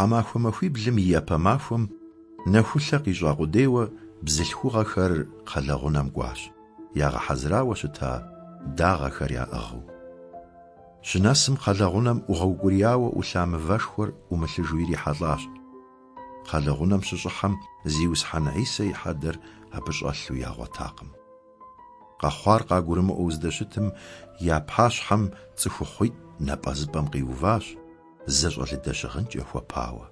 Тхьэмахуэ махуиблым и япэ махуэм нэхулъэ къищӏа къудейуэ бзылъхугъэхэр кхъэлэгъунэм кӏуащ, ягъэхьэзырауэ щыта дагъэхэр яӏыгъыу. Щынэсым кхъэлэгъунэм ӏугъэукӏурияуэ ӏулъа мывэшхуэр ӏумылъыжу ирихьэлӏащ. Кхъэлэгъунэм щыщӏыхьэм Зиусхьэн Хьисэ и хьэдэр абы щӏэлъу ягъуэтакъым. Къэхъуар къагурымыӏуэу здэщытым, я пащхьэм цӏыхухъуитӏ напӏэзыпӏэм къиуващ, зэщӏэлыдэ щыгъынкӏэ хуэпауэ.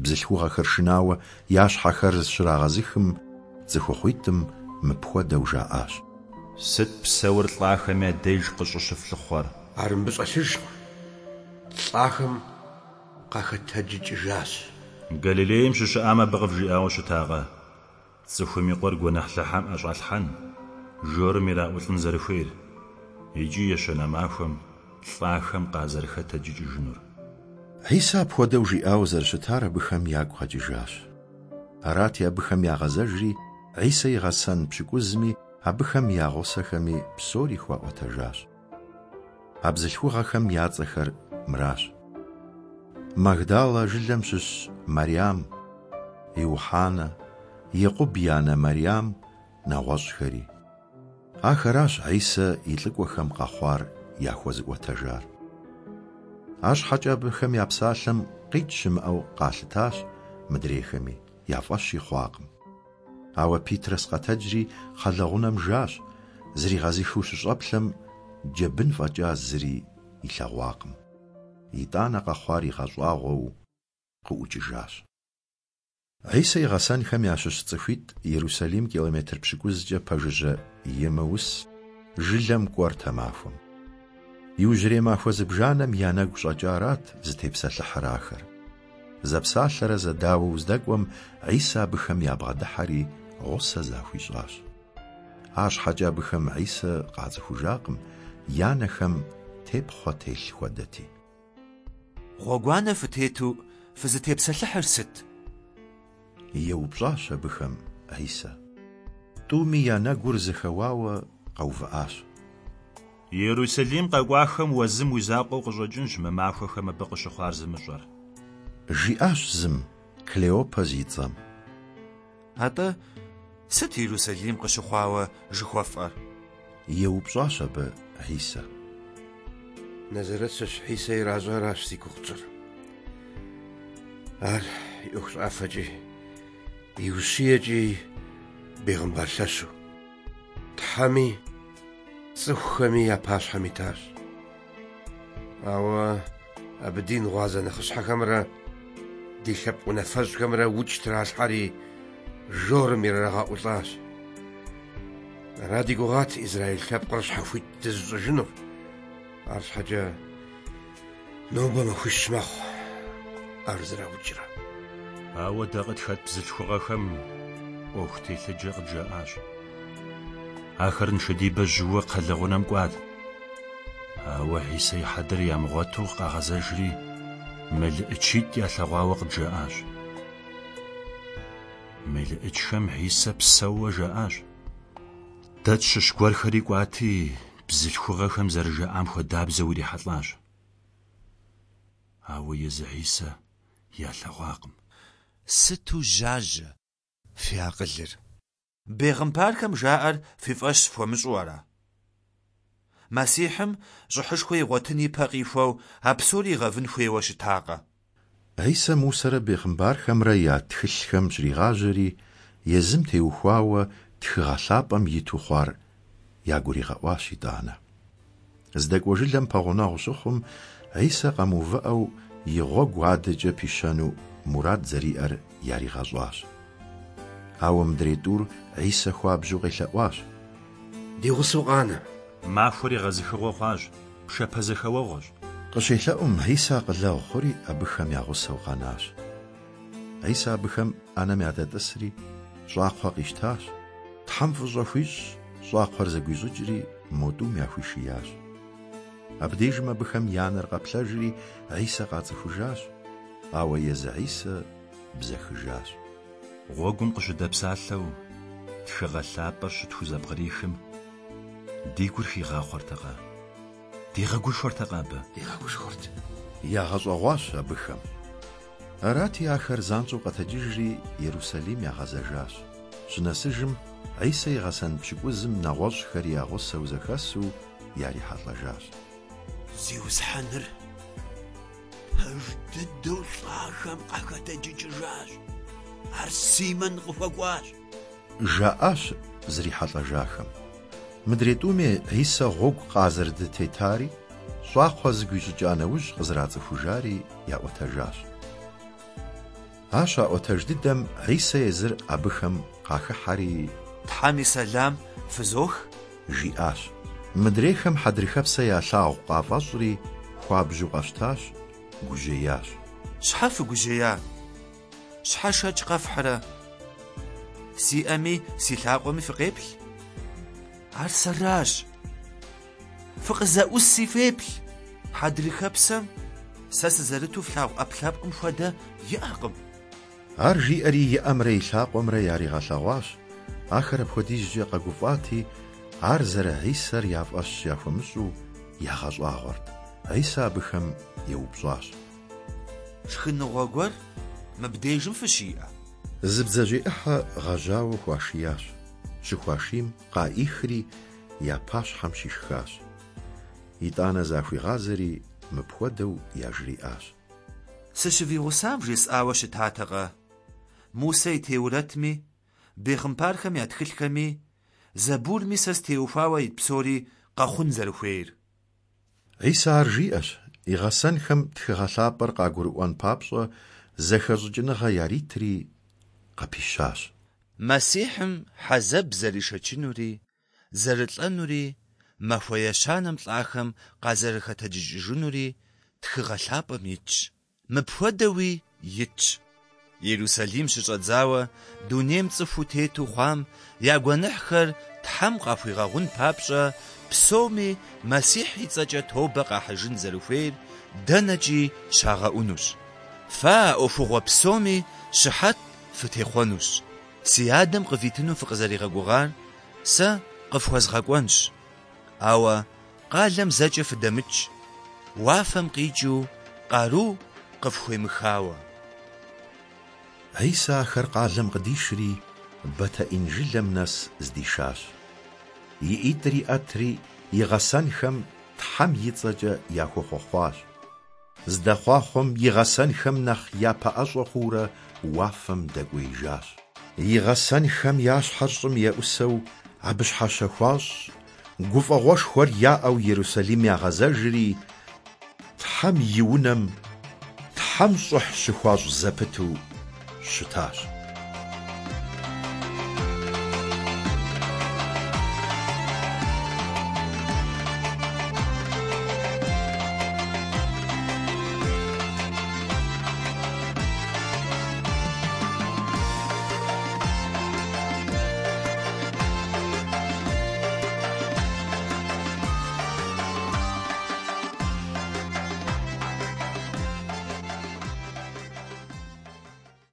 Бзылъхугъэхэр шынауэ я щхьэхэр щрагъэзыхым, цӏыхухъуитӏым мыпхуэдэу жаӏащ. Сыт псэур лӏахэм я деж къыщӏыщыфлъыхъуэр? Ар мыбы щӏэлъыжкъым, лӏахэм къахэтэджыкӏыжащ. Галилейм щыщыӏам абы къывжиӏауэ щытакъэ, Цӏыхум и Къуэр гуэныхьлыхэм ӏэщӏалъхьэн, жорым ираӏулӏын зэрыхуейр, икӏи ещанэ махуэм лӏахэм къазэрыхэтэджыкӏыжынур? Хьисэ апхуэдэу жиӏауэ зэрыщытар абыхэм ягу къэкӏыжащ. Арати, абыхэм ягъэзэжри, Хьисэ и гъэсэн пщыкӏузми абыхэм я гъусэхэми псори хуаӏуэтэжащ. А бзылъхугъэхэм я цӏэхэр мыращ: Магдалэ жылэм щыщ Мэрям, Иухьанэ, Екъуб и анэ Мэрям, нэгъуэщӏхэри. Ахэращ Хьисэ и лӏыкӏуэхэм къэхъуар яхуэзыӏуэтэжар. Арщхьэкӏэ абыхэм я псалъэм къикӏ щымыӏэу къалъытащ мыдрейхэми, я фӏэщи хъуакъым. Ауэ Питрэс къэтэджри кхъэлэгъунэм жащ, зригъэзыхыу щыщӏэплъэм, джэбын фӏэкӏа зыри илъэгъуакъым. Итӏанэ къэхъуар игъэщӏагъуэу къыӏукӏыжащ. Хьисэ и гъэсэнхэм ящыщ цӏыхуитӏ Ерусалим километр пщыкӏузкӏэ пэжыжьэ Еммаус жылэм кӏуэрт а махуэм. Иужьрей махуэ зыбжанэм я нэгу щӏэкӏарат зытепсэлъыхьыр ахэр. Зэпсалъэрэ зэдауэу здэкӏуэм, Хьисэ абыхэм ябгъэдыхьэри гъусэ захуищӏащ. Арщхьэкӏэ абыхэм Хьисэ къацӏыхужакъым, я нэхэм тепхъуэ телъ хуэдэти. Гъуэгуанэ фытету фызытепсэлъыхьыр сыт? Еупщӏащ абыхэм Хьисэ. Тӏуми я нэгур зэхэуауэ къэувыӏащ. Ерусалим къэкӏуахэм уэ зым уи закъуэу къыщӏэкӏынщ мы махуэхэм абы къыщыхъуар зымыщӏэр. Жиӏащ зым, Клеопэ зи цӏэм. Атӏэ, сыт Ерусалим къыщыхъуауэ жыхуэфӏэр? Еупщӏащ абы Хьисэ. Назарэт щыщ Хьисэ иращӏаращ зи гугъу тщӏыр. Ар и ӏуэхущӏафэкӏи, и ущиекӏи бегъымбар лъэщу, Тхьэми цӏыхухэми я пащхьэм итащ. Ауэ абы дин гъуазэ нэхъыщхьэхэмрэ ди лъэпкъ унафэщӏхэмрэ укӏ тралъхьэри жорым ирырагъэӏулӏащ. Ара ди гугъат израил лъэпкъыр щхьэхуит дызыщӏыжынур. Арщхьэкӏэ нобэ махуищ мэхъу ар зэраукӏрэ. Ауэ дэ къытхэт бзылъхугъэхэм ӏуэху телъыджэ къыджаӏащ. Ахэр нышэдибэ жьыуэ кхъэлэгъунэм кӏуат. Ауэ Хьисэ и хьэдэр ямыгъуэту къагъэзэжри, мелыӏычитӏ ялъэгъуауэ къыджаӏащ. Мелыӏычхэм Хьисэ псэууэ жаӏащ. Дэ тщыщ гуэрхэри кӏуати, бзылъхугъэхэм зэрыжаӏам хуэдабзэу ирихьэлӏащ. Ауэ езы Хьисэ ялъэгъуакъым. Сыту жьажьэ фи акъылыр! Бегъымбархэм жаӏэр фи фӏэщ фхуэмыщӏу ара? Мэссихьым щӏыхьышхуэ игъуэтын ипэ къихуэу а псори игъэвын хуейуэ щытакъэ? Хьисэ Мусэрэ бегъымбархэмрэ я тхылъхэм щригъажьэри, езым теухуауэ Тхыгъэ Лъапӏэм иту хъуар ягуригъэӏуащ итӏанэ. Здэкӏуэ жылэм пэгъунэгъу щыхъум, Хьисэ къэмыувыӏэу и гъуэгу адэкӏэ пищэну мурад зэриӏэр яригъэщӏащ. Ауэ мыдрей тӏур Хьисэ хуабжьу къелъэӏуащ. Ди гъусэу къанэ. Махуэр егъэзыхыгъуэ хъуащ, пшапэзэхэуэгъуэщ. Къыщелъэӏум, Хьисэ акъылэгъу хъури, абыхэм я гъусэу къэнащ. Хьисэ абыхэм ӏэнэм ядэтӏысри, щӏакхъуэ къищтащ, Тхьэм фӏыщӏэ хуищӏщ, щӏакхъуэр зэгуищӏыкӏри, мо тӏум яхуишиящ. Абдежым абыхэм я нэр къэплъэжри, Хьисэ къацӏыхужащ, ауэ езы Хьисэ бзэхыжащ. Гъуэгум къыщыдэпсалъэу, Тхыгъэ Лъапӏэр щытхузэпкърихым, ди гур хигъахъуэртэкъэ? Дигъэгушхуэртэкъэ абы? Дигъэгушхуэрт. Ягъэщӏэгъуащ абыхэм. Арати, ахэр занщӏэу къэтэджыжри, Ерусалим ягъэзэжащ. Щынэсыжым, Хьисэ и гъэсэн пщыкӏузым нэгъуэщӏхэри я гъусэу зэхэсу ярихьэлӏэжащ. Зиусхьэныр пэж дыдэу лӏахэм къахэтэджыкӏыжащ. Ар Симэн къыхуэкӏуащ. Жаӏащ зрихьэлӏэжахэм. Мыдрей тӏуми Хьисэ гъуэгу къазэрыдытетари, щӏакхъуэ зэгуищӏыкӏа нэужь къызэрацӏыхужари яӏуэтэжащ. Ар щаӏуэтэж дыдэм Хьисэ езыр абыхэм къахыхьэри. Тхьэм и сэлам фызох! Жиӏащ. Мыдрейхэм хьэдрыхэпсэ ялъагъу къафӏэщӏри, хуабжьу къэщтащ, гужьеящ. Щхьэ фыгужьея? Щхьэ шэч къэфхьрэ? Си ӏэми си лъакъуэми фыкъеплъ. Ар сэращ. Фыкъызэӏуси феплъ. Хьэдрыхэпсэм сэ сызэрыту флъагъу ӏэпкълъэпкъым хуэдэ иӏэкъым. Ар жиӏэри и ӏэмрэ и лъакъуэмрэ яригъэлъэгъуащ, ахэр апхуэдизкӏэ къэгуфӏати, ар зэры-Хьисэр я фӏэщ яхуэмыщӏу ягъэщӏагъуэрт. Хьисэ абыхэм еупщӏащ. Шхыныгъуэ гуэр мыбдежым фыщиӏэ? Зы бдзэжьей ӏыхьэ гъэжьауэ хуашиящ. Щыхуашийм къаӏихри, я пащхьэм щишхащ. Итӏанэ захуигъазэри мыпхуэдэу яжриӏащ. Сыщывигъусам вжесӏауэ щытатэкъэ? Мусэ и Теурэтми, бегъымбархэм я тхылъхэми, Зэбурми сэ стеухуауэ ит псори къэхъун зэрыхуейр. Хьисэ ар жиӏэщ, и гъэсэнхэм Тхыгъэ Лъапӏэр къагурыӏуэн папщӏэ зэхэщӏыкӏыныгъэ яритри, къыпищащ. Мэссихьым хьэзэб зэришэчынури, зэрылӏэнури, махуэ ещанэм лӏахэм къазэрыхэтэджыкӏыжынури Тхыгъэ Лъапӏэм итщ. Мыпхуэдэуи итщ, Ерусалим щыщӏэдзауэ дунейм цӏыхуу тету хъуам я гуэныхьхэр Тхьэм къахуигъэгъун папщӏэ, псоми Мэссихь и цӏэкӏэ тобэ къахьыжын зэрыхуейр дэнэкӏи щагъэӏунущ. Фэ а ӏуэхугъуэ псоми щыхьэт фытехъуэнущ. Си Адэм къывитыну фыкъызэригъэгугъар сэ къыфхуэзгъэкӏуэнщ. Ауэ къалэм зэкӏэ фыдэмыкӏ, уафэм къикӏыу къару къыфхуемыхауэ. Хьисэ ахэр къалэм къыдишри, Бэтэӏин жылэм нэс здишащ. И ӏитӏыр иӏэтри, и гъэсэнхэм Тхьэм и цӏэкӏэ яхуэхъуэхъуащ. Здэхъуахъуэм и гъэсэнхэм нэхъ япэӏэщӏэ хъуурэ уафэм дэкӏуеижащ. И гъэсэнхэм я щхьэр щӏым еӏусэу абы щхьэщэ хуащӏщ, гуфӏэгъуэшхуэр яӏэу Ерусалим ягъэзэжри, Тхьэм и унэм Тхьэм щӏыхь щыхуащӏ зэпыту щытащ.